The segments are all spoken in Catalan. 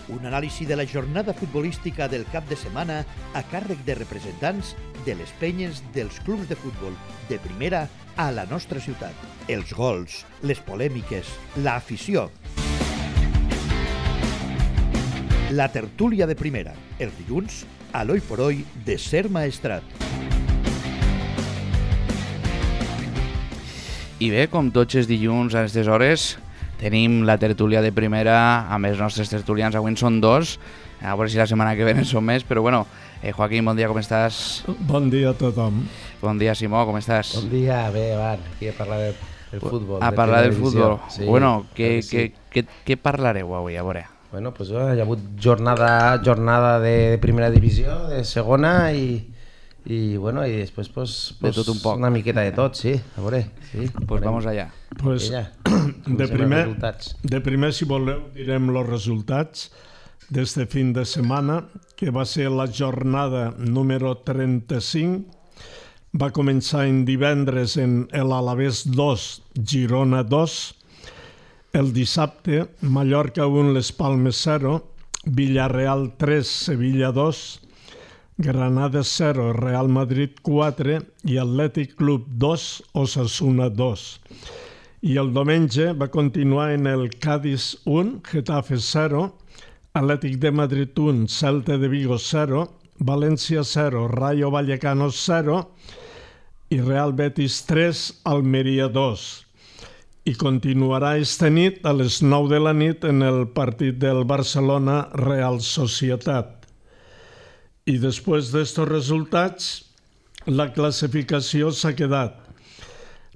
Un anàlisi de la jornada futbolística del cap de setmana a càrrec de representants de les penyes dels clubs de futbol de primera a la nostra ciutat. Els gols, les polèmiques, l'afició. La tertúlia de primera, els dilluns, a l'Oi por Hoy de Ser Maestrat. I bé, com tots els dilluns a aquestes hores, tenim la tertúlia de primera amb els nostres tertulians. Avui en són dos, a veure si la setmana que ve en són més, però bueno, Joaquín, bon dia, com estàs? Bon dia a tothom. Bon dia, Simó, com estàs? Bon dia, bé, Van, aquí a parlar del futbol. A parlar del futbol. Sí, bueno, què parlareu avui, a veure? Bueno, pues hi ha hagut jornada de primera divisió, de segona y bueno, y después pues de tot un poc. Una miqueta de tot, sí, a veure. Sí, pues vamos allá. Pues de primer, si voleu, direm els resultats d'este fin de setmana, que va ser la jornada número 35. Va començar en divendres en l'Alavés 2, Girona 2. El dissabte, Mallorca 1, Les Palmes 0, Villarreal 3, Sevilla 2, Granada 0, Real Madrid 4 i Atlètic Club 2, Osasuna 2. I el diumenge va continuar en el Cádiz 1, Getafe 0, Atlètic de Madrid 1, Celta de Vigo 0, València 0, Rayo Vallecano 0 i Real Betis 3, Almeria 2. I continuarà esta nit a les 9 de la nit en el partit del Barcelona Real Societat. I després d'estos resultats, la classificació s'ha quedat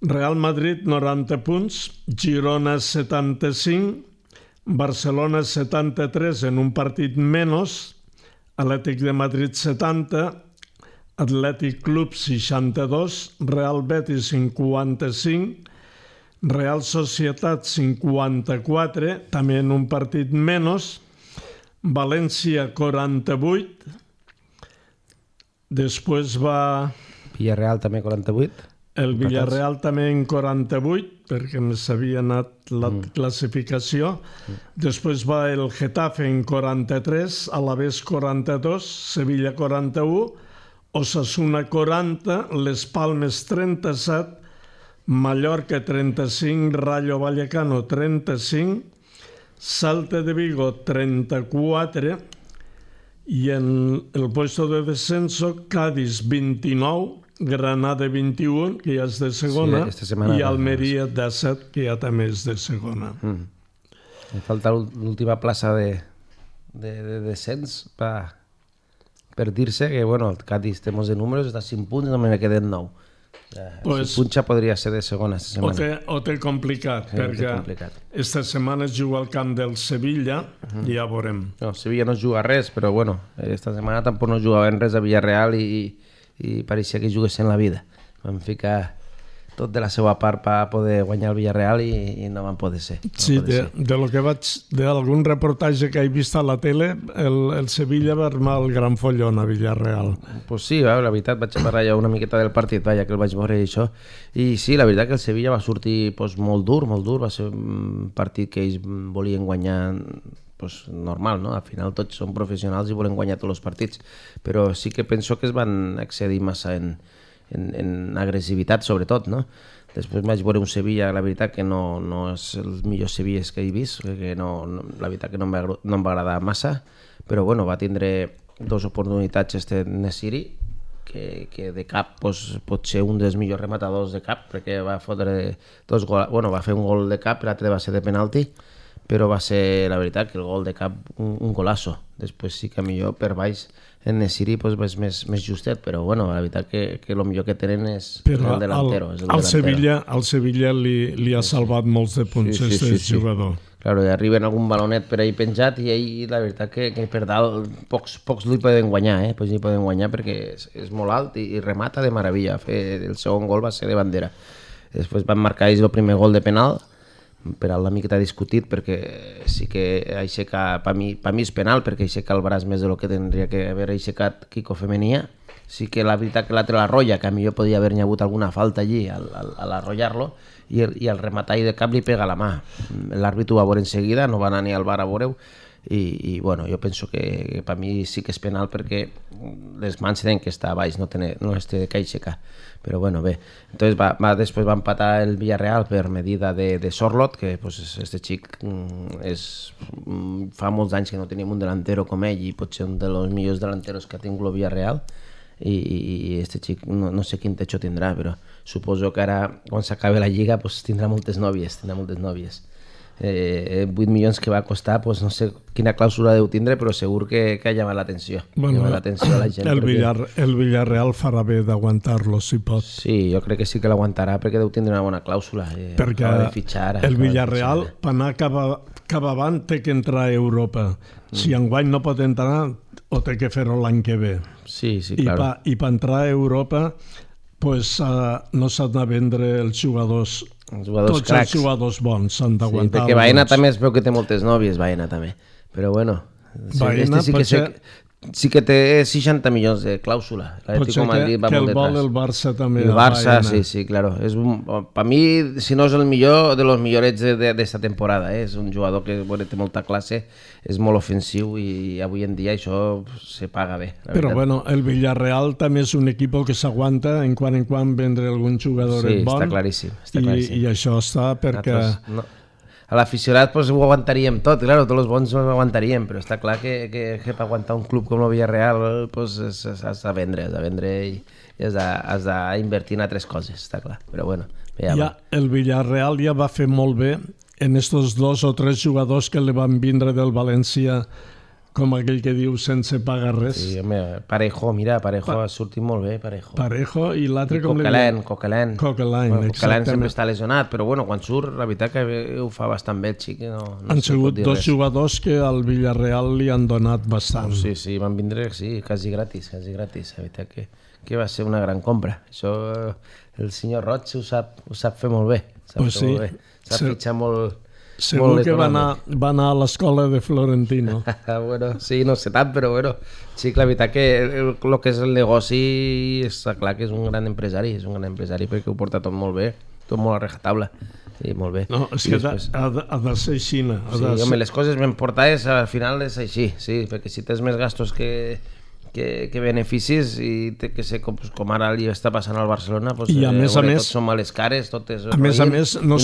Real Madrid 90 punts, Girona 75, Barcelona 73 en un partit menys, Atlètic de Madrid 70, Atlètic Club 62, Real Betis 55, Real Societat 54, també en un partit menys, València 48, després va... Villarreal també 48. El Villarreal també en 48, perquè s'havia anat la classificació. Després va el Getafe en 43, Alavés 42, Sevilla 41, Osasuna 40, Les Palmes 37, Mallorca 35, Rayo Vallecano 35, Celta de Vigo 34 i en el puesto de descenso Cádiz 29, Granada 21, que ja és de segona, i Almeria 17, que ja també és de segona. Me falta l'última plaça de descens per dir-se que bueno, el Cádiz té molts de números, està a 5 punts i només me queden 9. Si punxa podria ser de segona esta setmana. O té complicat, perquè esta setmana es juga al camp del Sevilla i ja veurem. No, Sevilla no juga res, però bueno, esta setmana tampoc no jugaven res a Villarreal i pareixia que juguessin la vida. Van ficar tot de la seva part per poder guanyar el Villarreal i no van poder ser. Sí, d'algun reportatge que he vist a la tele, el Sevilla va armar el gran follon a Villarreal. Pues sí, la veritat, vaig parlar ja una miqueta del partit, que el vaig veure i això. I sí, la veritat que el Sevilla va sortir molt dur, va ser un partit que ells volien guanyar normal, no? Al final tots són professionals i volen guanyar tots els partits, però sí que penso que es van excedir massa en agressivitat, sobretot, no? Després vaig veure un Sevilla, la veritat que no és el millor Sevilla que he vist, que la veritat que no em va agradar massa, però bueno, va tindre 2 oportunitats Nesiri, que de cap pot ser un dels millors rematadors de cap, perquè va fotre 2 gols, bueno, va fer un gol de cap, l'altre va ser de penalti, però va ser, la veritat, que el gol de cap un golasso. Després sí que millor per baix en Nesiri és més justet, però bueno, la veritat que el millor que tenen és el delantero. Al Sevilla li ha salvat molts de punts aquest jugador. Claro, i arriben algun balonet per ahí penjat i ahí la veritat que per dalt pocs li poden guanyar, pocs li poden guanyar perquè és molt alt i remata de meravella. El segon gol va ser de bandera. Després van marcar ells el primer gol de penal, per la miqueta discutit, perquè sí que aixeca, per mi és penal, perquè aixeca el braç més del que tindria que haver aixecat Quico Femenia. Sí que la veritat que l'altre l'arrolla, que a millor podia haver-hi hagut alguna falta allí al arrollar-lo, i el rematall de cap li pega a la mà. L'àrbit ho va veure en seguida, no va anar ni al bar a veure-ho, i bueno, jo penso que per mi sí que és penal perquè les mans tenen que estar a baix, no es té que aixecar, però bueno, bé. Entonces després va empatar el Villarreal per medida de Sorlot, que pues, este xic fa molts anys que no teníem un delantero com ell i pot ser un dels millors delanteros que ha tingut el Villarreal, i este xic no sé quin techo tindrà, però suposo que ara quan s'acabi la lliga pues, tindrà moltes nòvies. 8 milions que va costar, pues no sé quina clàusula deu tindre, però segur que ha llamat l'atenció. Bueno, a la gent. El Villarreal farà bé d'aguantar-lo, si pot. Sí, jo crec que sí que l'aguantarà perquè deu tindre una bona clàusula. Perquè el Villarreal, per anar cap avant, té que entrar a Europa. Si enguany no pot entrar, o té que fer-ho l'any que ve. Sí, claro. I per entrar a Europa, pues, no s'han de vendre els jugadors tots cracs. Els jugadors bons s'han d'aguantar. Sí, perquè Baena també es veu que té moltes nòvies, Baena també. Però bueno, Baena sí que té 60 milions de clàusula. Potser que el vol el Barça també. El Barça, sí, claro. Per mi, si no és el millor, de los millorets d'esta temporada. És un jugador que té molta classe, és molt ofensiu i avui en dia això se paga bé. Però bueno, el Villarreal també és un equip que s'aguanta en quan vendre algun jugador bon. Sí, està claríssim. I això està perquè... A l'aficionat pues, ho aguantaríem tot, claro, tots els bons ho aguantaríem, però està clar que per aguantar un club com el Villarreal pues, has de vendre i has d'invertir en altres coses, està clar. Però bueno, el Villarreal ja va fer molt bé en estos 2 o 3 jugadors que li van vindre del València, com aquell que diu sense pagar res. Sí, home, Parejo ha sortit molt bé, Parejo i l'altre com Coquelin, exactament. sempre està lesionat, però bueno, quan surt, la veritat que ho fa bastant bé el xic. Han sigut 2 jugadors que al Villarreal li han donat bastant. Sí, van vindre, quasi gratis, la veritat que va ser una gran compra. Això el senyor Roig ho sap fer molt bé, sap fitxar molt... Segur que va anar a l'escola de Florentino. Bueno, sí, no sé tant, però bueno, sí, la veritat que el que és el negoci està clar que és un gran empresari, perquè ho porta tot molt bé, tot molt a rajatabla. Sí, molt bé. No, és que ha de ser així. Home, les coses ben portades al final és així, sí, perquè si tens més gastos que beneficis i té que ser com ara li està passant al Barcelona, doncs, i a més, tots són males cares, tot és a més no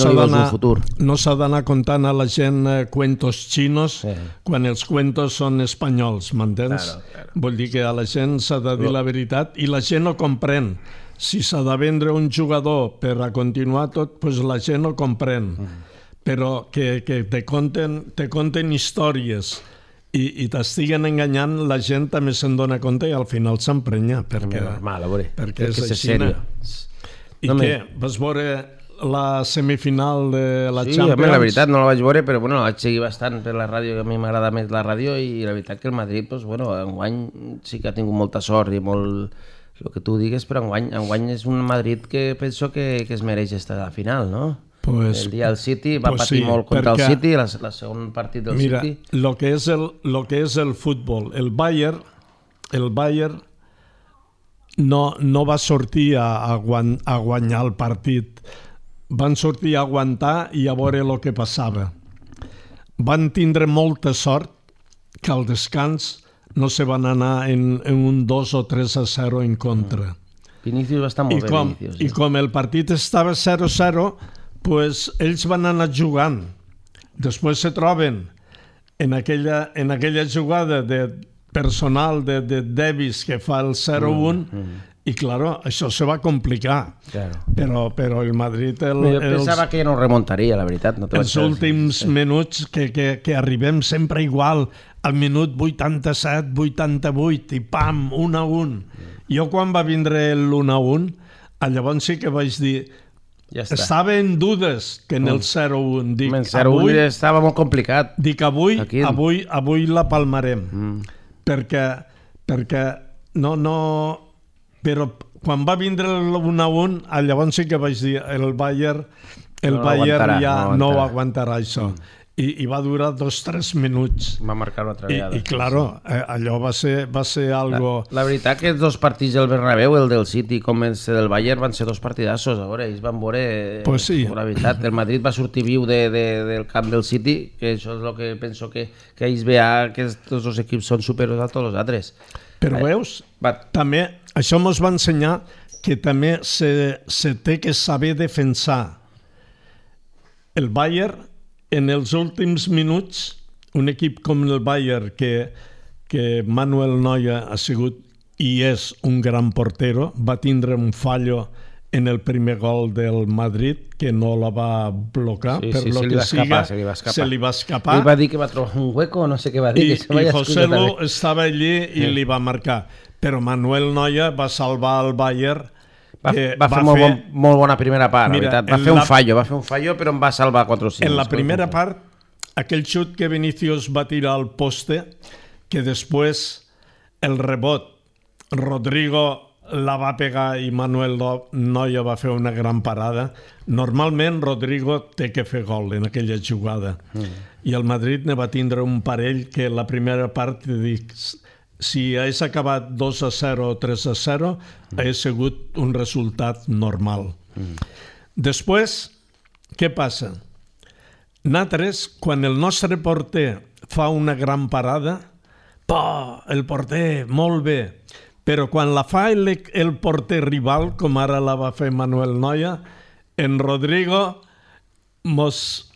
s'ha d'anar contant a la gent cuentos xinos quan els cuentos són espanyols, m'entens? Claro. Vull dir que a la gent s'ha de dir la veritat i la gent ho comprèn. Si s'ha de vendre un jugador per a continuar tot, doncs la gent ho comprèn. Però que te conten històries i t'estiguen enganyant, la gent també se'n dona compte i al final s'emprenya perquè és així. I què? Vas veure la semifinal de la Champions? Sí, la veritat no la vaig veure, però bueno, la vaig seguir bastant per la ràdio, que a mi m'agrada més la ràdio, i la veritat que el Madrid, enguany sí que ha tingut molta sort i molt el que tu digues, però enguany és un Madrid que penso que es mereix estar a la final, no? El dia del City va patir molt contra el City, el segon partit del City. Mira, el que és el futbol, el Bayern no va sortir a guanyar el partit, van sortir a aguantar i a veure el que passava. Van tindre molta sort que al descans no se van anar en un 2 o 3-0 en contra. Vinicius va estar molt bé, Vinicius. I com el partit estava 0-0, pues ells van anar jugant. Després se troben en aquella jugada personal de Davis que fa el 0-1 i, claro, això se va complicar. Però el Madrid... Jo pensava que no remuntaria, la veritat. Els últims minuts que arribem sempre igual, al minut 87, 88, i pam, 1-1. Jo quan va vindre l'1-1, llavors sí que vaig dir... Estava en dudes que en el 0-1. El 0-1 estava molt complicat. Dic, avui la palmarem. Perquè no... Però quan va vindre el 1-1, llavors sí que vaig dir el Bayern ja no aguantarà això. i va durar 2-3 minuts. Va marcar una altra vegada. I claro, allò va ser algo... La veritat que els dos partits del Bernabéu, el del City com el del Bayern, van ser dos partidassos. A veure, ells van veure... Pues sí. La veritat, el Madrid va sortir viu del camp del City, que això és el que penso que ells veuen que tots els equips són superiors a tots els altres. Però veus, també això ens va ensenyar que també se té que saber defensar. El Bayern, en els últims minuts, un equip com el Bayern, que Manuel Neuer ha sigut i és un gran portero, va tindre un fallo en el primer gol del Madrid, que no la va blocar, Sí, per sí, lo se li que va escapar, siga, se li va escapar. se li va escapar. Ell va dir que va trobar un hueco, no sé què va dir. I José Lu estava allí i li va marcar. Però Manuel Neuer va salvar el Bayern. Va fer molt bona primera part, Mira, la veritat. Va fer un fallo, però em va salvar 4 o 5. En la primera part, aquell xut que Vinicius va tirar al poste, que després el rebot, Rodrigo la va pegar i Manuel Neuer va fer una gran parada. Normalment Rodrigo té que fer gol en aquella jugada. I el Madrid ne va tindre un parell que la primera part dic, si hagués acabat 2-0 o 3-0, hagués sigut un resultat normal. Després, què passa? Nosaltres, quan el nostre porter fa una gran parada, el porter, molt bé, però quan la fa el porter rival, com ara la va fer Manuel Neuer, en Rodrigo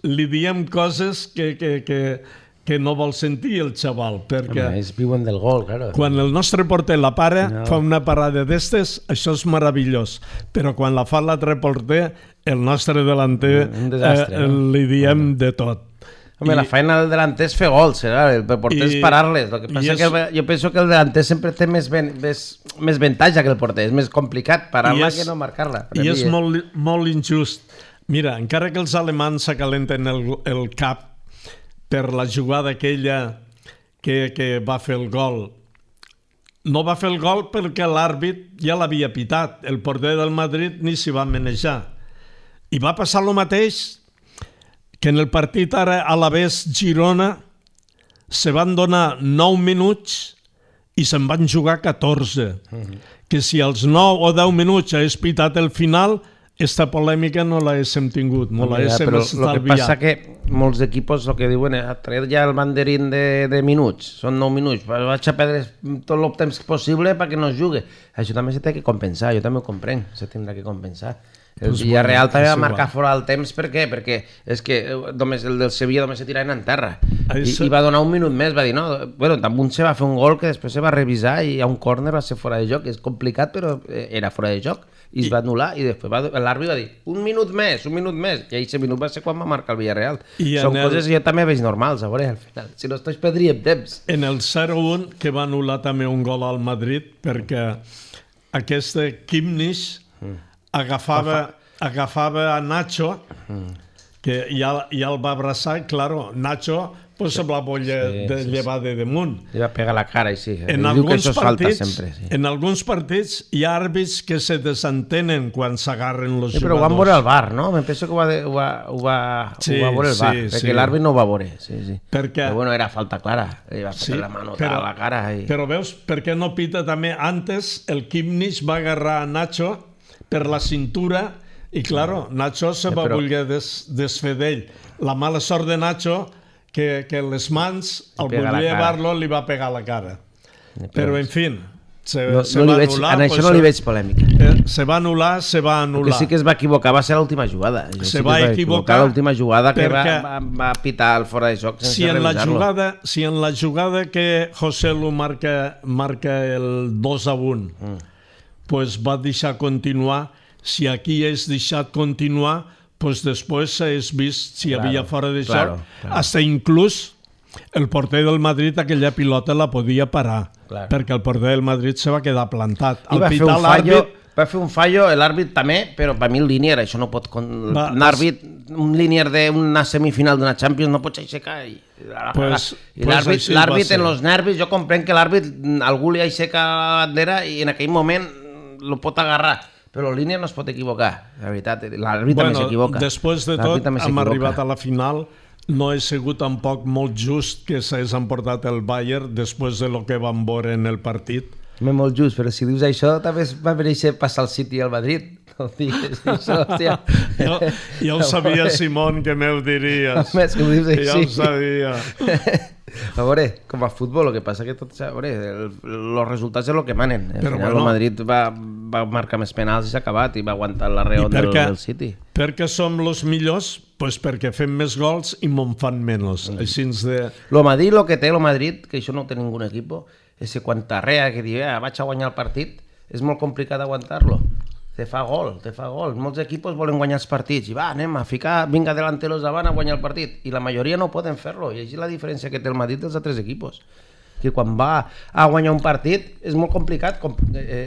li diem coses que no vol sentir el xaval, perquè ells viuen del gol, claro. Quan el nostre porter la para, fa una parada d'estes, això és meravellós, però quan la fa l'altre porter, el nostre delanter li diem de tot. Home, la feina del delanter és fer gols, el porter és parar-les. El que passa que jo penso que el delanter sempre té més avantatge que el porter, és més complicat parar-la que no marcar-la. I és molt injust. Mira, encara que els alemans s'acalenten el cap per la jugada aquella que va fer el gol, no va fer el gol perquè l'àrbit ja l'havia pitat. El porter del Madrid ni s'hi va manejar. I va passar el mateix que en el partit ara Alavés-Girona se van donar 9 minuts i se'n van jugar 14. Que si als 9 o 10 minuts hagués pitat el final, esta polèmica no l'haguéssim tingut, no l'haguéssim estalviat. El que passa que molts equipos el que diuen és traient ja el banderín de minuts, són 9 minuts, vaig a perdre tot el temps possible perquè no es jugui. Això també s'ha de compensar, jo també ho comprenc, s'ha de compensar. El Villarreal també va marcar fora del temps, per què? Perquè és que només el del Sevilla només se tiraven en terra i va donar un minut més, va dir no, bueno, també se va fer un gol que després se va revisar i a un córner va ser fora de joc, és complicat però era fora de joc i es va anul·lar i després l'àrbit va dir un minut més i aquest minut va ser quan va marcar el Villarreal. Són coses que jo també veig normals, a veure, al final, si no es perdríem temps. En el 0-1 que va anul·lar també un gol al Madrid perquè aquest Kimmich agafava a Nacho, que ja el va abraçar, i claro, Nacho se la volia llevar de damunt. Li va pegar la cara i sí. En alguns partits hi ha àrbits que se desentenen quan s'agarren els jugadors. Però ho van veure al VAR, no? Em penso que ho va veure el VAR, perquè l'àrbit no ho va veure. Però bueno, era falta clara. Li va pegar la manota a la cara. Però veus, per què no pita també? Antes el Kimmich va agarrar a Nacho per la cintura i, claro, Nacho se va voler desfer d'ell. La mala sort de Nacho que les mans, al voler llevar-lo, li va pegar la cara. Però, en fi, se va anul·lar. En això no li veig polèmica. Se va anul·lar. El que sí que es va equivocar va ser l'última jugada. Se va equivocar l'última jugada que va pitar el fora de joc sense revisar-lo. Si en la jugada que José Lu marca el 2-1 pues va deixar continuar, si aquí és deixat continuar, pues després s'hagués vist si hi havia fora de joc. Hasta inclús el porter del Madrid aquella pilota la podia parar, perquè el porter del Madrid se va quedar plantat. Va fer un fallo, l'àrbit també, però per mi el línier, això no pot... Un línier d'una semifinal d'una Champions no pots aixecar. I l'àrbit en els nervis, jo comprenc que l'àrbit algú li aixeca la bandera i en aquell moment lo pot agarrar, però el línia no es pot equivocar, la veritat, l'àrbit també s'equivoca. Després de tot, hem arribat a la final, no he sigut tampoc molt just que s'hagués emportat el Bayern després de lo que vam veure en el partit. Molt just, però si dius això també va mereixer passar el City al Madrid. No digues això, hòstia. Jo ho sabia, Simón, que m'ho diries. Més que m'ho dius així. Ja ho sabia. A veure, com a futbol, el que passa que tot... A veure, els resultats és el que manen. Al final el Madrid va marcar més penals i s'ha acabat i va aguantar la reon del City. Perquè som els millors? Pues perquè fem més gols i me'n fan menys. Així de... Lo Madrid, lo que té el Madrid, que això no té ningú equip, és que quan t'arrea, que diu, vaig a guanyar el partit, és molt complicat aguantar-lo. Te fa gol. Molts equips volen guanyar els partits i va, anem a ficar, vinga delanteros davant a guanyar el partit. I la majoria no poden fer-lo. I així és la diferència que té el Madrid dels altres equips. Que quan va a guanyar un partit és molt complicat que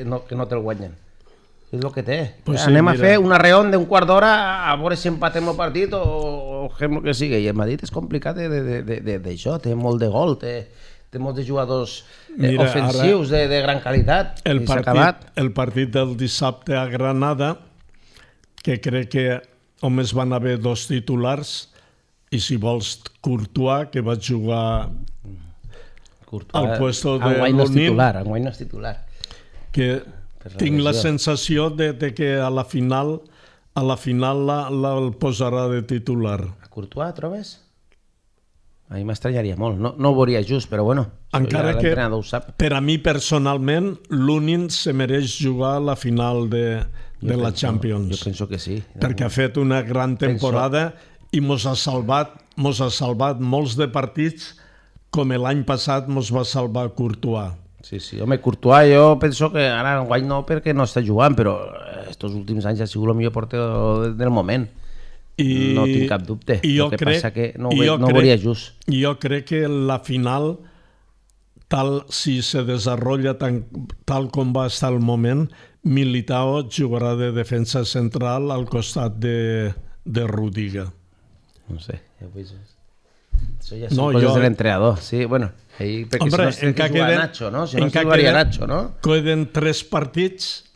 no te'l guanyen. És el que té. Pues anem a fer una reon d'un quart d'hora a veure si empatem el partit o fem el que sigui. I el Madrid és complicat d'això. Té molt de gol, té molts de jugadors ofensius de gran qualitat. El partit del dissabte a Granada, que crec que només van haver 2 titulars, i si vols Courtois, que va jugar al puesto de Lunin. Enguany no és titular. Que tinc la sensació de que a la final el posarà de titular. A Courtois, trobes? A mi m'estranyaria molt. No ho veuria just, però bueno, encara que l'entrenador ho sap. Per a mi personalment, Lunin se mereix jugar a la final de la Champions. Jo penso que sí. Perquè ha fet una gran temporada i mos ha salvat molts de partits com l'any passat mos va salvar Courtois. Sí, home, Courtois jo penso que ara enguany no perquè no està jugant, però estos últims anys ha sigut el millor porter del moment. No tinc cap dubte. El que passa que no ho veuria just. Jo crec que la final, si se desenvolupa tal com va estar el moment, Militao jugarà de defensa central al costat de Rudiger. No sé, ja ho veig. Això ja són coses de l'entrenador. Sí, bueno, perquè si no es que jugar Nacho, no? Si no es jugaria Nacho, no? Queden 3 partits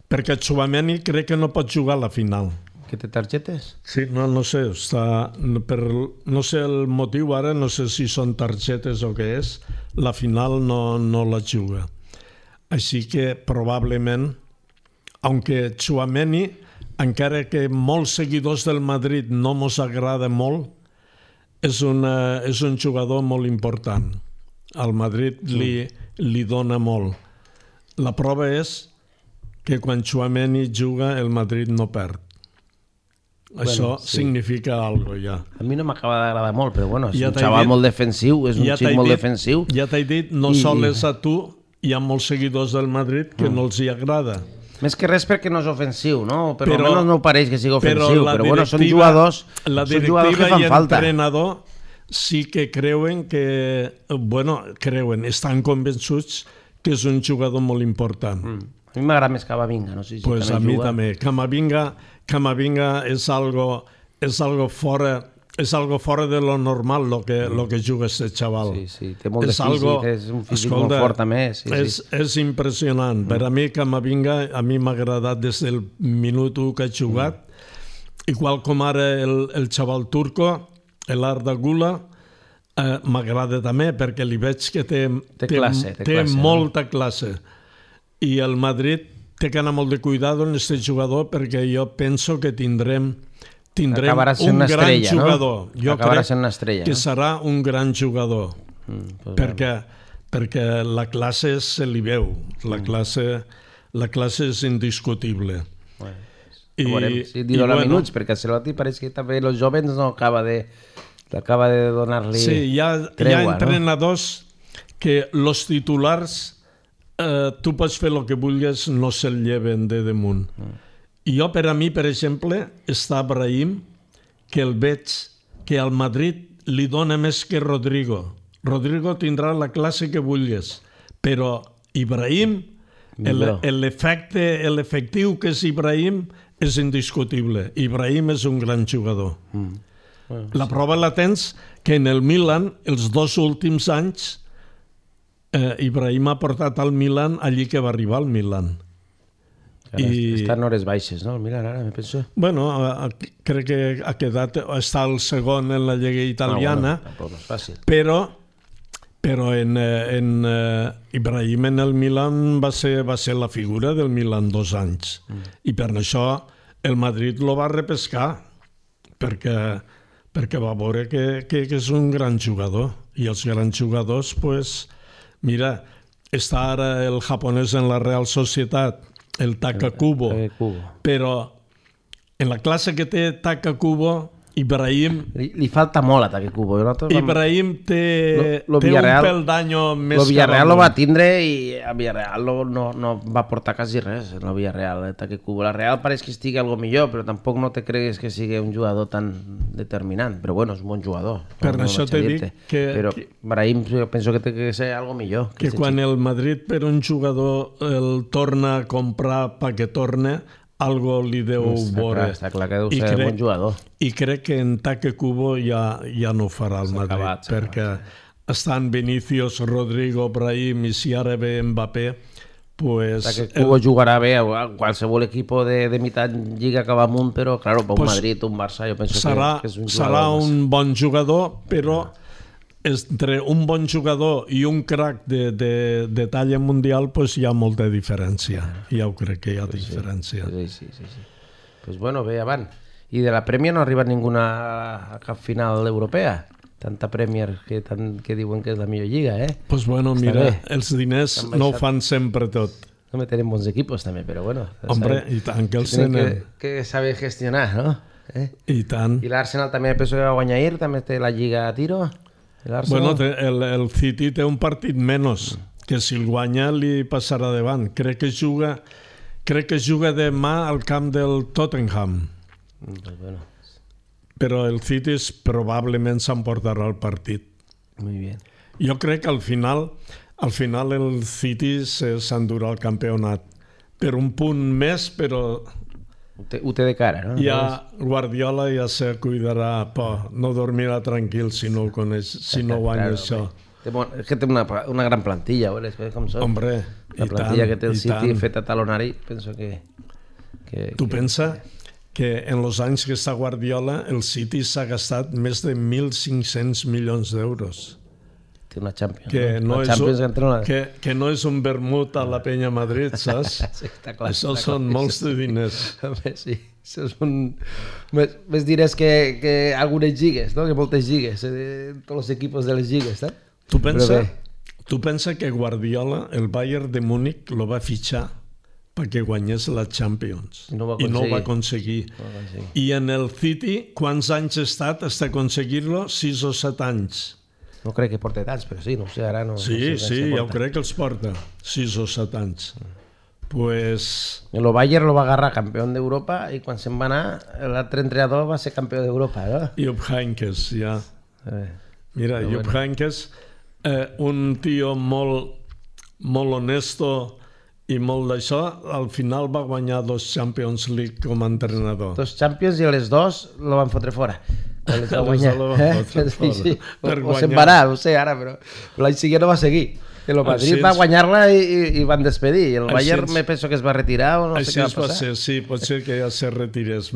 perquè Tchouaméni crec que no pot jugar a la final. Que té targetes? Sí, no sé, no sé el motiu ara, no sé si són targetes o què és, la final no la juga. Així que probablement, aunque Tchouaméni, encara que molts seguidors del Madrid no mos agrada molt, és un jugador molt important. Al Madrid li dona molt. La prova és que quan Tchouaméni juga el Madrid no perd. Això significa alguna cosa, ja. A mi no m'acaba d'agradar molt, però bueno, és un xaval molt defensiu, és un xic molt defensiu. Ja t'he dit, no sols a tu, hi ha molts seguidors del Madrid que no els hi agrada. Més que res perquè no és ofensiu, no? Però almenys no pareix que sigui ofensiu, però bueno, són jugadors que fan falta. La directiva i l'entrenador sí que creuen estan convençuts que és un jugador molt important. A mi m'agrada més Camavinga, no sé si pues també juga. A mi també. Camavinga és algo fora de lo normal lo que juga este chaval. Sí, té molt de físic, és un físic molt fort també. És impressionant. Per a mi Camavinga m'ha agradat des del minut 1 que ha jugat, igual com ara el xaval turco, l'Arda Güler, m'agrada també perquè li veig que té molta classe. I el Madrid té que anar molt de cuidado en aquest jugador perquè jo penso que tindrem un gran jugador. Jo crec que serà un gran jugador perquè la classe se li veu. La classe és indiscutible. Si dona minuts, perquè a Ancelotti pareix que també els joves no acaba de donar-li tregua. Sí, hi ha entrenadors que els titulars tu pots fer el que vulguis, no se'l lleven de damunt. I jo, per a mi, per exemple, està Brahim, que el veig que al Madrid li dona més que Rodrigo. Rodrigo tindrà la classe que vulguis, però Ibrahim, l'efectiu que és Ibrahim és indiscutible. Ibrahim és un gran jugador. La prova la tens que en el Milan, els 2 últims anys, Ibrahim ha portat al Milan allí que va arribar al Milan. Està en hores baixes, no? Mira, ara me penso... Bueno, crec que ha quedat, està el segon en la Lliga Italiana, tampoc no és fàcil. però en Ibrahim en el Milan va ser la figura del Milan 2 anys. I per això el Madrid lo va repescar, perquè va veure que és un gran jugador. I els grans jugadors, pues, mira, està ara el japonès en la Real Societat, el Taka Kubo, però en la classe que té Taka Kubo, Ibrahim... Li falta molt a Taka Kubo. Ibrahim té un peldaño més... El Villarreal lo va tindre i el Villarreal no va portar quasi res, el Villarreal, Taka Kubo. La Real pareix que estigui algo millor, però tampoc no te cregues que sigui un jugador tan determinant. Però bueno, és un bon jugador. Per això t'he dit que... Però Ibrahim penso que té que ser algo millor. Que quan el Madrid per un jugador el torna a comprar perquè torne, algo li deu veure. Està clar que deu ser un bon jugador. I crec que en Taka Kubo ja no ho farà el Madrid, perquè estan Vinicius, Rodrigo, Brahim i si ara ve Mbappé, pues... Taka Kubo jugarà bé a qualsevol equip de mitad lliga que va amunt, però claro, per un Madrid, un Barça, jo penso que és un jugador... Serà un bon jugador, però entre un bon jugador i un crack de talla mundial pues hi ha molta diferència. Ja ho crec que hi ha diferència. Sí. Pues bueno, bé, avant. I de la Premier no ha arribat ninguna a cap final europea? Tanta Premier que diuen que és la millor lliga, eh? Pues bueno, mira, els diners no ho fan sempre tot. No tenen bons equipos també, però bueno. Hombre, i tant que els tenen. Que saber gestionar, no? I tant. I l'Arsenal també penso que va guanyar ahir, també té la lliga a tiro. Bueno, el City té un partit menys, que si el guanya li passarà davant. Crec que juga demà al camp del Tottenham. Bueno. Però el City probablement s'emportarà el partit. Muy bien. Jo crec que al final el City s'endurà el campionat. Per un punt més, però... Ho té de cara, no? Ja Guardiola ja se cuidarà, no dormirà tranquil si no guanya això. És que té una gran plantilla, veus com són? Hombre, la plantilla que té el City feta talonari, penso que... Tu pensa que en els anys que està Guardiola el City s'ha gastat més de 1.500 milions d'euros. Té una Champions. Que no és un vermut a la Penya Madrid, saps? Sí, està clar. Això són molts de diners. Sí, això són més diners que algunes lligues, no? Que moltes lligues, tots els equips de les lligues, no? Tu pensa que Guardiola, el Bayern de Múnich, lo va fitxar perquè guanyés la Champions. I no ho va aconseguir. I en el City, quants anys ha estat fins a aconseguir-lo? 6 o 7 anys. No crec que porta tants, però sí, no sé, ara no... Sí, jo crec que els porta 6 o 7 anys. Pues... El Bayern lo va agarrar campió d'Europa i quan se'n va anar, l'altre entrenador va ser campió d'Europa, no? Jupp Heynckes, ja. Mira, Jupp Heynckes, un tio molt honesto i molt d'això, al final va guanyar 2 Champions League com a entrenador. 2 Champions i les 2 lo van fotre fora. O se'n va anar, no sé ara, però l'any següent no va seguir. El Madrid va guanyar-la i van despedir. El Bayern me penso que es va retirar o no sé què va passar. Sí, pot ser que ja se retirés.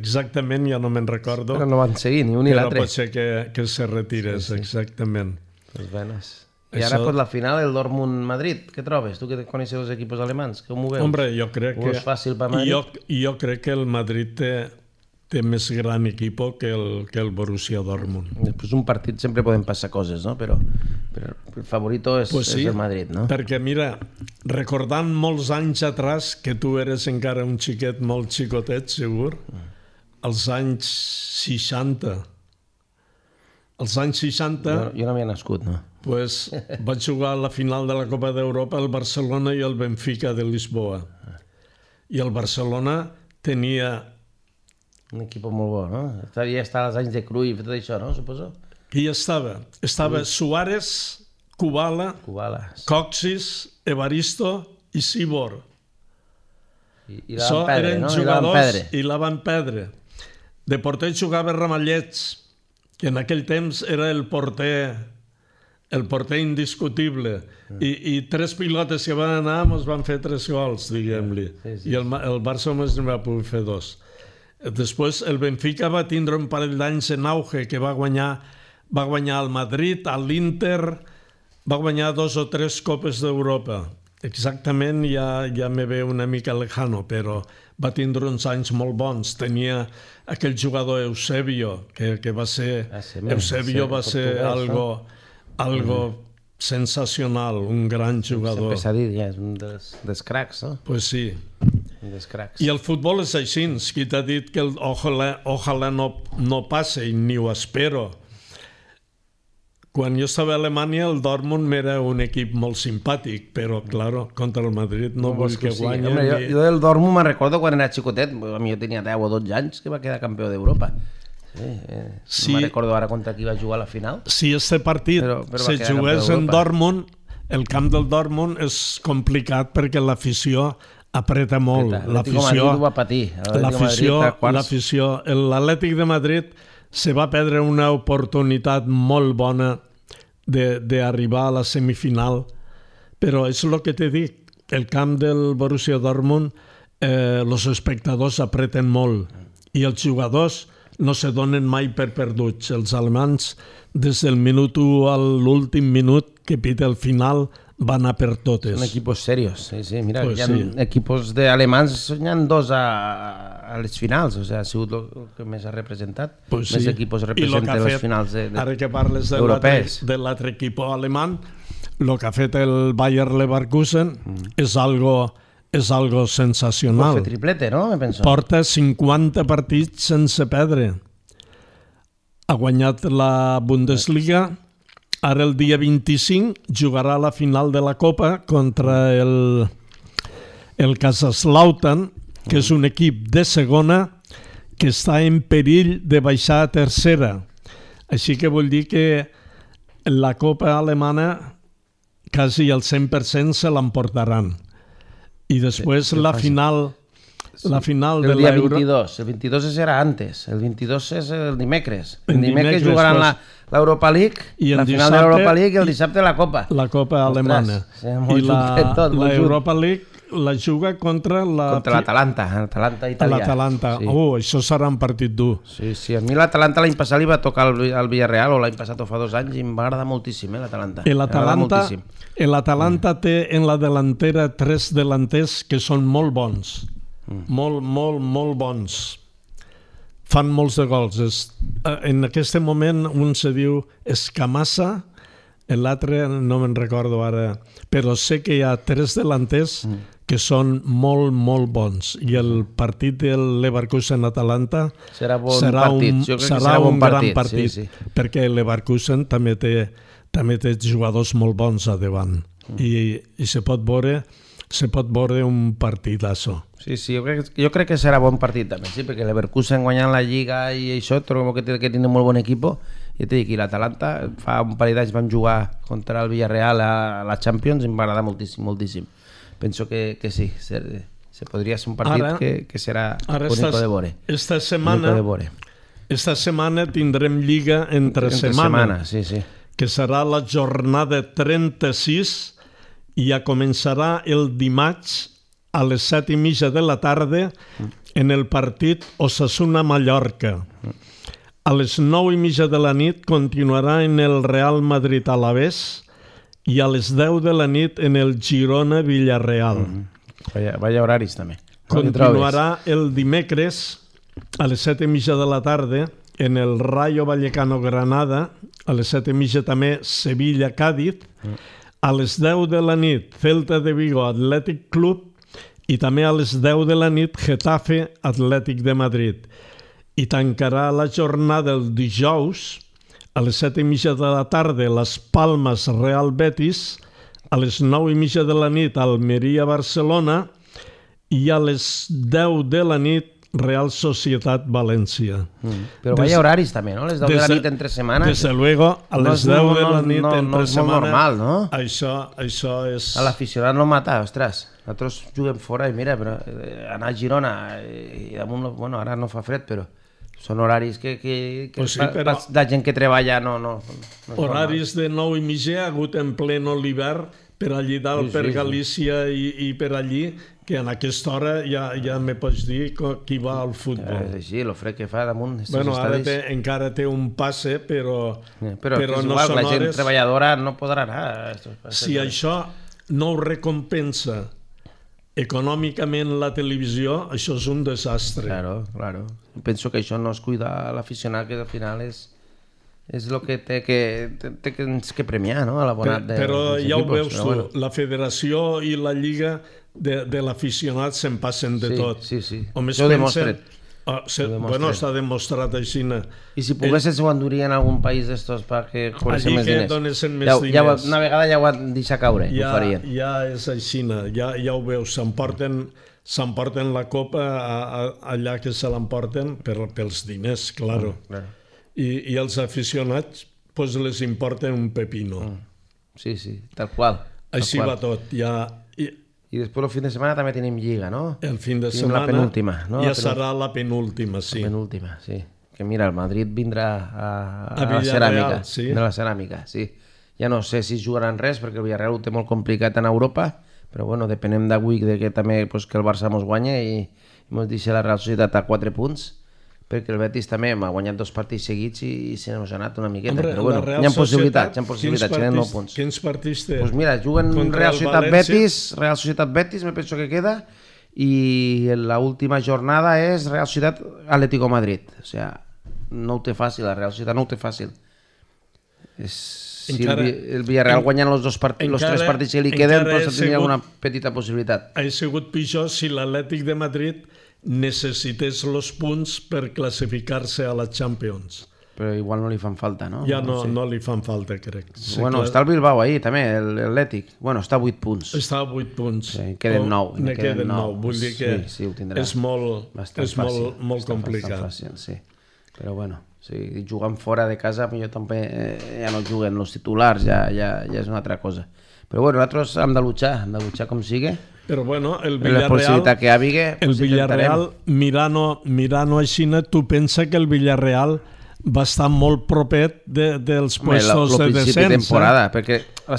Exactament, ja no me'n recordo. Però no van seguir ni un ni l'altre. Però pot ser que se retirés, exactament. I ara, pues, la final, el Dortmund-Madrid, què trobes? Tu que coneixes els equips alemans, com ho veus? Hombre, jo crec que... És fàcil per Madrid? Jo crec que el Madrid té més gran equip que el Borussia Dortmund. Després un partit sempre poden passar coses, no? Però el favorito és el Madrid, no? Perquè mira, recordant molts anys atrás, que tu eres encara un xiquet molt xicotet, segur, als anys 60. Als anys 60... Jo no havia nascut, no? Pues vaig jugar a la final de la Copa d'Europa el Barcelona i el Benfica de Lisboa. I el Barcelona tenia... Un equip molt bo, no? Ja està als anys de Cruyff i tot això, no? Suposo. Qui estava? Estava Suárez, Kubala, Coxis, Evaristo i Sibor. I la Van Pedre, no? I la Van Pedre. De porter jugava Ramallets, que en aquell temps era el porter el porter indiscutible, i 3 pilotes que van anar ens van fer 3 gols, diguem-li. I el Barça només en va poder fer 2. Després el Benfica va tindre un parell d'anys en auge, que va guanyar al Madrid, a l'Inter, va guanyar 2 o 3 copes d'Europa. Exactament ja me ve una mica lejano, però va tindre uns anys molt bons. Tenia aquell jugador Eusebio, que va ser... Eusebio va ser algo sensacional, un gran jugador. Sempre s'ha dit, ja, és un dels cracs, no? Pues sí. Un dels cracs. I el futbol és així, qui t'ha dit que ojalà no passe, i ni ho espero. Quan jo estava a Alemanya, el Dortmund era un equip molt simpàtic, però, claro, contra el Madrid no vull que guanyi. Hombre, jo del Dortmund me'n recordo quan era xicotet, jo tenia 10 o 12 anys, que va quedar campió d'Europa. Sí. No me'n recordo ara contra qui va jugar a la final. Si este partit se jugués en Dortmund, el camp del Dortmund és complicat perquè l'afició apreta molt. L'afició va patir. L'Atlètic de Madrid se va perdre una oportunitat molt bona d'arribar a la semifinal, però és el que t'he dit, el camp del Borussia Dortmund, els espectadors apreten molt i els jugadors no se donen mai per perduts. Els alemanys, des del minut 1 a l'últim minut que pita el final, van a per totes. Són equipos serios, sí. Mira, pues hi ha equipos d'alemans, n'hi ha 2 a les finals, o sigui, ha sigut el que més ha representat. Pues més equipos representen les finals ara que parles de l'altre equip alemany, el que ha fet el Bayer Leverkusen és algo sensacional. Pot fer triplete, no? Porta 50 partits sense perdre. Ha guanyat la Bundesliga. Ara el dia 25 jugarà la final de la Copa contra el Kaiserslautern, que és un equip de segona que està en perill de baixar a tercera. Així que vull dir que la Copa alemana quasi el 100% se l'emportaran. I després la final de l'Euro... El dia 22. El 22 serà antes. El 22 és el dimecres. El dimecres jugaran l'Europa League, la final de l'Europa League, i el dissabte la Copa. La Copa alemana. I l'Europa League la juga contra l'Atalanta, l'Atalanta italià. L'Atalanta. Això serà un partit dur. Sí. A mi l'Atalanta l'any passat li va tocar al Villarreal, o l'any passat o fa 2 anys, i em va agradar moltíssim, l'Atalanta. L'Atalanta té en la delantera 3 delanters que són molt bons. Molt bons. Fan molts de gols. En aquest moment un se diu Escamassa, l'altre no me'n recordo ara, però sé que hi ha 3 delanters que són molt bons, i el partit del Leverkusen-Atalanta serà un gran partit, perquè el Leverkusen també té jugadors molt bons a davant, i se pot veure un partidazo. Sí, jo crec que serà bon partit també, sí, perquè l'Leverkusen guanyant la Lliga i això, trobo que té un molt bon equip. Ja t'he dit que l'Atalanta fa un parell d'anys vam jugar contra el Villarreal a la Champions i em va agradar moltíssim. Penso que sí, se podria ser un partit que serà bonico de veure. Esta setmana tindrem Lliga entre setmana, que serà la jornada 36 i ja començarà el dimarts a les 7:30 de la tarda en el partit Osasuna-Mallorca. A les 9:30 de la nit continuarà en el Real Madrid-Alavés i a les 10 de la nit en el Girona-Villarreal. Vaya horaris també. Continuarà el dimecres a les 7:30 de la tarda en el Rayo Vallecano-Granada, a les 7:30 també Sevilla-Càdiz, a les 10 de la nit Celta de Vigo Athletic Club i també a les 10 de la nit Getafe Atlètic de Madrid. I tancarà la jornada el dijous a les 7:30 de la tarda Las Palmas Real Betis, a les 9:30 de la nit Almeria Barcelona i a les 10 de la nit Real Societat València. Però vaya horaris també, no? Les 10 de la nit entre setmana. Desde luego, a les 10 de la nit entre setmana. No és molt normal, no? Això és... A l'aficionat no mata, ostres. Nosaltres juguem fora i mira, però anar a Girona i damunt, bueno, ara no fa fred, però Són horaris que Pues sí, però- la gent que treballa no Horaris de 9:30 ha hagut en pleno l'hivern per allí dalt, Sí, per sí, sí. Galícia i per allí, que en aquesta hora ja me pots dir qui va al És futbol. així, el fred que fa damunt estos Bueno, ara estadis. encara té un passe, però Però que és no igual, són la gent hores... treballadora no podrà anar a estos passes. Si això no ho recompensa econòmicament la televisió, això és un desastre. Claro. Penso que això no es cuida l'aficionat, que al final és el que té que premiar, no? A l'abonat Però dels ja ho equipos, veus però tu, bueno. la federació i la lliga de l'aficionat se'n passen de Sí, tot. sí. Només Això ho pensen... demostren. Bueno, està demostrat així. I si poguessin s'ho enduria en algun país d'estos perquè cobreixen Allí més que diners. donessin més diners. Una vegada ja ho han deixat caure, ho farien. Ja és així, ja ho veus, s'emporten la copa allà que se l'emporten pels diners, claro. Claro. I els aficionats pues les importen un pepino. Sí, tal qual. Així va tot. I després el fin de setmana també tenim Lliga, no? El fin de Tenim setmana la penúltima, no? ja serà la penúltima, sí. La penúltima, sí. Que mira, el Madrid vindrà a la Villarreal, ceràmica. sí. De la ceràmica, sí. Ja no sé si jugaran res, perquè el Villarreal ho té molt complicat en Europa, però bueno, depenem d'avui que també pues, que el Barça mos guanya i mos deixa la Real Societat a 4 punts, perquè el Betis també m'ha guanyat 2 partits seguits i se n'ha anat una miqueta. Hombre, però bueno, la Real hi ha Societat, possibilitats, tenen 9 punts. Quins partits té? Pues mira, juguen Contra Real el Societat València. Betis, Real Societat Betis, me penso que queda, i la última jornada és Real Societat Atlético Madrid. O sea, no ho té fàcil, la Real Societat no ho té fàcil. Si el Villarreal guanyant els 3 partits que li queden, doncs tindria una petita possibilitat. Ha sigut pitjor si l'Atlètic de Madrid necessités els punts per classificar-se a la Champions. Però igual no li fan falta, no? Ja no li fan falta, crec. Bueno, està el Bilbao ahí, també, l'Atlètic. Bueno, està a 8 punts. Està a 8 punts. Sí, queden 9. Ne queden 9. Vull dir que sí, ho tindrà. és molt complicat. Fàcil, sí. Però bueno, si jugant fora de casa, millor també ja no juguen els titulars, ja és una altra cosa. Però bueno, nosaltres hem de luchar com sigui. Però bueno, el La possibilitat que hi hagi, el Villarreal, mirant-ho així, tu pensa que el Villarreal va estar molt propet dels puestos de descens. De temporada, perquè a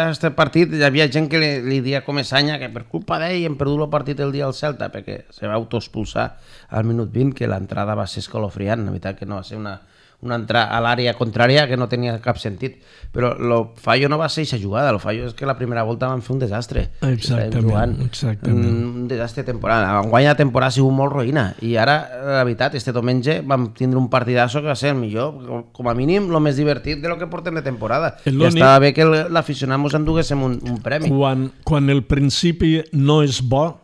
aquest partit hi havia gent que li dia com Esanya que per culpa d'ell hem perdut el partit el dia al Celta, perquè se va autoexpulsar al minut 20, que l'entrada va ser escalofriant, la veritat que no va ser una entrada a l'àrea contrària que no tenia cap sentit, però el fallo no va ser aquesta jugada, el fallo és que la primera volta van fer un desastre. Exactament. Un desastre temporal. Enguany la temporada ha sigut molt roïna i ara, la veritat, este diumenge vam tindre un partidazo que va ser el millor, com a mínim el més divertit de lo que portem de temporada. I estava bé que l'aficionat mos enduguéssim un premi. Quan el principi no és bo,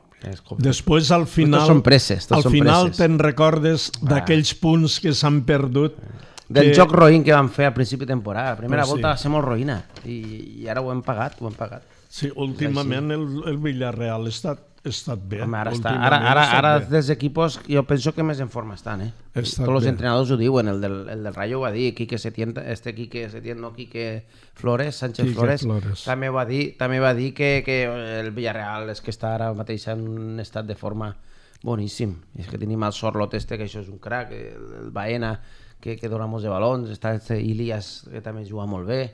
després al final te'n recordes d'aquells punts que s'han perdut. Del joc roïn que vam fer al principi de temporada. La primera volta va ser molt roïna i ara ho hem pagat. Sí, últimament el Villarreal ha estat bé. Home, ara dels equipos jo penso que més en forma estan. Tots els entrenadors ho diuen. El del Rayo ho va dir, Quique Flores, Sánchez Flores, també va dir que el Villarreal és que està ara mateix en un estat de forma boníssim. És que tenim el Sorlot que això és un crac, el Baena que dona molts de balons, està Ilias que també juga molt bé,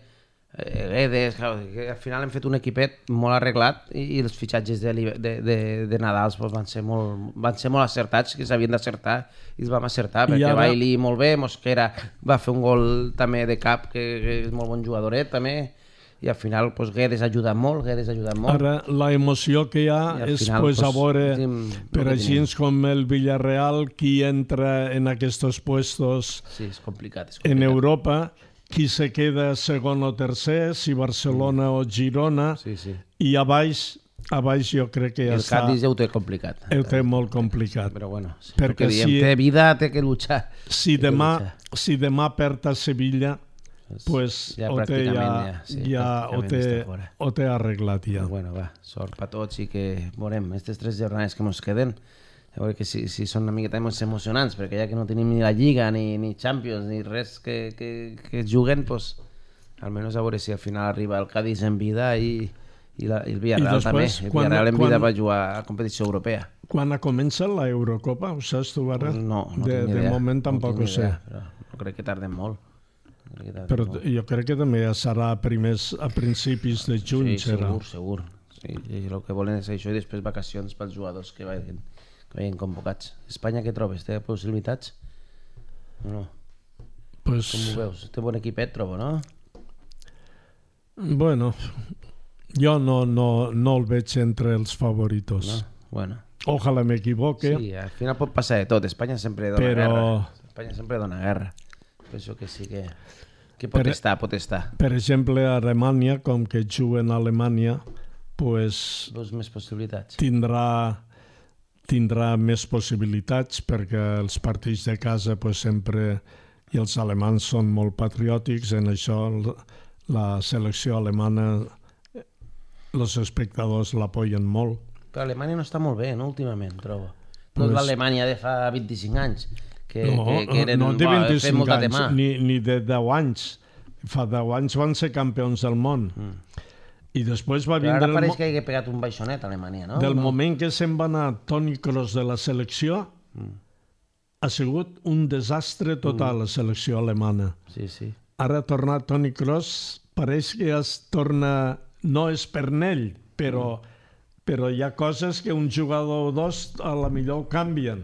Guedes, que al final hem fet un equipet molt arreglat i els fitxatges de Nadal van ser molt acertats, que s'havien d'acertar i els vam acertar, perquè Bailey molt bé, Mosquera va fer un gol també de cap, que és molt bon jugadoret també, i al final Guedes ha ajudat molt. Ara la emoció que hi ha és a veure per així com el Villarreal qui entra en aquests puestos en Europa, qui se queda segon o tercer, si Barcelona o Girona, i a baix jo crec que ja està... El Cádiz ja ho té complicat. Ho té molt complicat. Però bueno, perquè té vida, té que luchar. Si demà perd a Sevilla, pues ho té arreglat ja. Bueno, va, sort per tots i que veurem aquestes 3 jornades que ens queden, a veure que si són una miqueta més emocionants, perquè ja que no tenim ni la Lliga, ni Champions, ni res que juguen, pues almenys a veure si al final arriba el Cádiz en vida i I el Villarreal també. El Villarreal en vida va jugar a competició europea. Quan ha començat la Eurocopa? Ho saps tu, ara? No tinc De idea. moment tampoc ho sé. No crec que tardem molt. Però jo crec que també ja serà a principis de juny. Sí, segur. Sí, el que volen és això i després vacacions pels jugadors que vagin convocats. Espanya què trobes? Té possibilitats? No. Pues, com ho veus? Té bon equipet, trobo, no? Bueno, jo no el veig entre els favoritos. No? Bueno. Ojalà m'equivoque. Sí, al final pot passar de tot. Espanya sempre dona guerra. Espanya sempre dona guerra. Penso que sí que pot estar. Per exemple, a Alemanya, com que juguen a Alemanya, pues, veus més possibilitats. Tindrà més possibilitats perquè els partits de casa pues, sempre, i els alemans són molt patriòtics, en això la selecció alemana, els espectadors l'apoyen molt. Però Alemanya no està molt bé, no, últimament, trobo. No és l'Alemanya de fa 25 anys, que eren no de 25 molt anys, ni de 10 anys. Fa 10 anys van ser campions del món. I després va vindre... Però ara pareix que hagués pegat un baixonet a Alemanya, no? Del moment que se'n va anar Toni Kroos de la selecció, ha sigut un desastre total la selecció alemana. Sí. Ara ha tornat Toni Kroos, pareix que es torna... No és pernell, però hi ha coses que un jugador o dos a la millor canvien.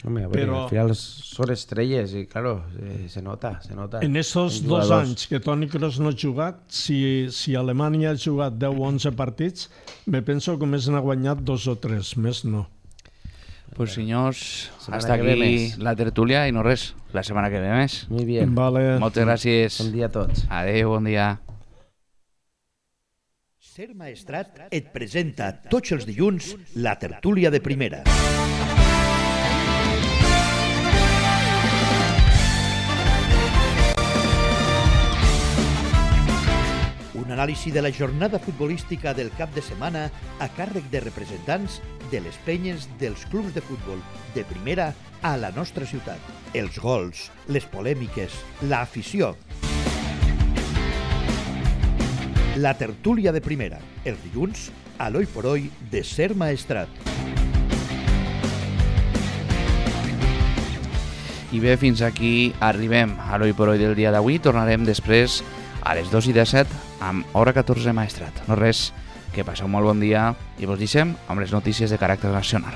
Home, però al final són estrelles i, claro, se nota. En estos 2 anys que Toni Kroos no ha jugat, si Alemanya ha jugat 10 o 11 partits, me penso que més n'ha guanyat 2 o 3, més no. Pues senyors, hasta aquí la tertúlia i no res, la setmana que ve més. Muy bien. Vale. Moltes gràcies. Bon dia a tots. Adéu, bon dia. Ser Maestrat et presenta tots els dilluns la tertúlia de primera. Un anàlisi de la jornada futbolística del cap de setmana a càrrec de representants de les penyes dels clubs de futbol de primera a la nostra ciutat. Els gols, les polèmiques, l'afició. La tertúlia de primera, els dilluns, a l'Oi por Hoy de Ser Maestrat. I bé, fins aquí arribem a l'Oi por Hoy del dia d'avui. Tornarem després a les 2:17 amb Hora 14 Maestrat. No res, que passeu molt bon dia i vos deixem amb les notícies de caràcter nacional.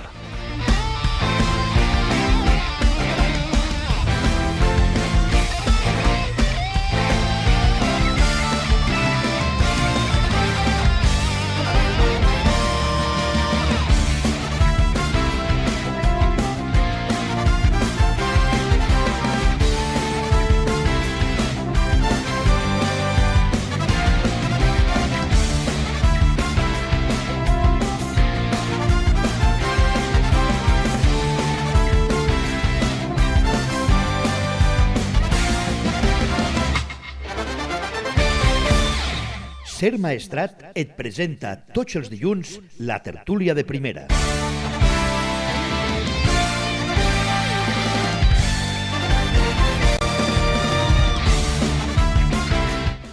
Ser Maestrat et presenta tots els dilluns la tertúlia de primera.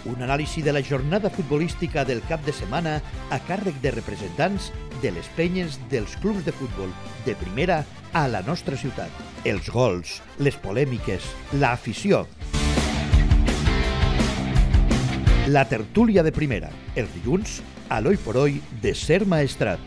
Un anàlisi de la jornada futbolística del cap de setmana a càrrec de representants de les penyes dels clubs de futbol de primera a la nostra ciutat. Els gols, les polèmiques, l'afició. La tertúlia de primera, els dilluns, a l'Oi por Hoy de Ser Maestrat.